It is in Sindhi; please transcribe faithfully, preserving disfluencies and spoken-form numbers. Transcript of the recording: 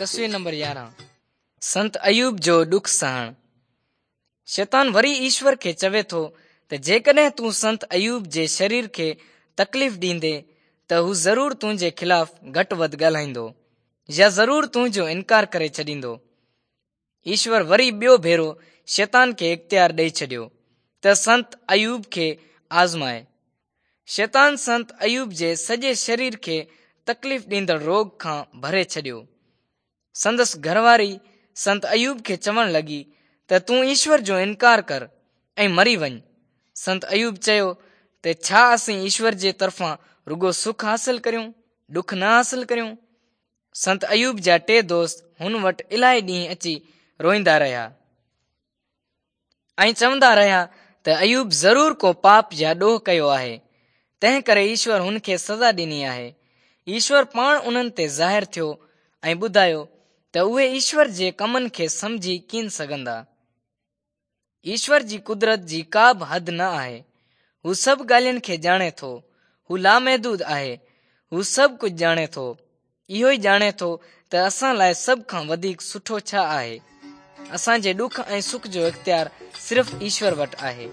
تصوير نمبر يارهن. سنت ايوب جو ڏک سهڻ. شيطان وري ايشور کي چوي ٿو ته جيڪڏهن تون سنت ايوب جي شرير کي تڪليف ڏيندين ته هو ضرور تنهنجي خلاف گهٽ وڌ ڳالهائيندو يا ضرور تنهنجو انڪار ڪري ڇڏيندو. ايشور وري ٻيو ڀيرو شيطان کي اختيار ڏئي ڇڏيو ته سنت ايوب کي آزمائي. شيطان سنت ايوب جي سڄي شرير کي تڪليف ڏيندڙ روڳ کان ڀري ڇڏيو. سندس گهرواري سنت ايوب کي چوڻ لڳي ته تون ايشور جو انڪار ڪر ۽ مري وڃ. سنت ايوب چيو ته ڇا اسين ايشور جي طرفان رڳو سک حاصل ڪريون، ڏک نه حاصل ڪريون؟ سنت ايوب جا ٽي دوست هن وٽ الاهي ڏينهن اچي روئيندا رهيا ۽ چوندا رهيا ته ايوب ضرور ڪو پاپ يا ڏوهه ڪيو آهي، تنهن ڪري ايشور هن کي سزا ڏني آهي. ايشور پاڻ انهن تي ظاهر ٿيو ۽ ٻڌايو ته اهي ايشور جي ڪمن کي سمجهي ڪين سگهندا. ايشور جي قدرت جي ڪا به حد نه آهي. هو سڀ ڳالهين کي ڄاڻي ٿو. هو لامحدود آهي. هو سڀ ڪجهه ڄاڻي ٿو. اهو ئي ڄاڻي ٿو ته اسان لاءِ سڀ کان وڌيڪ سٺو ڇا آهي. اسان جي ڏک ۽ سک جو اختيار صرف ايشور وٽ آهي.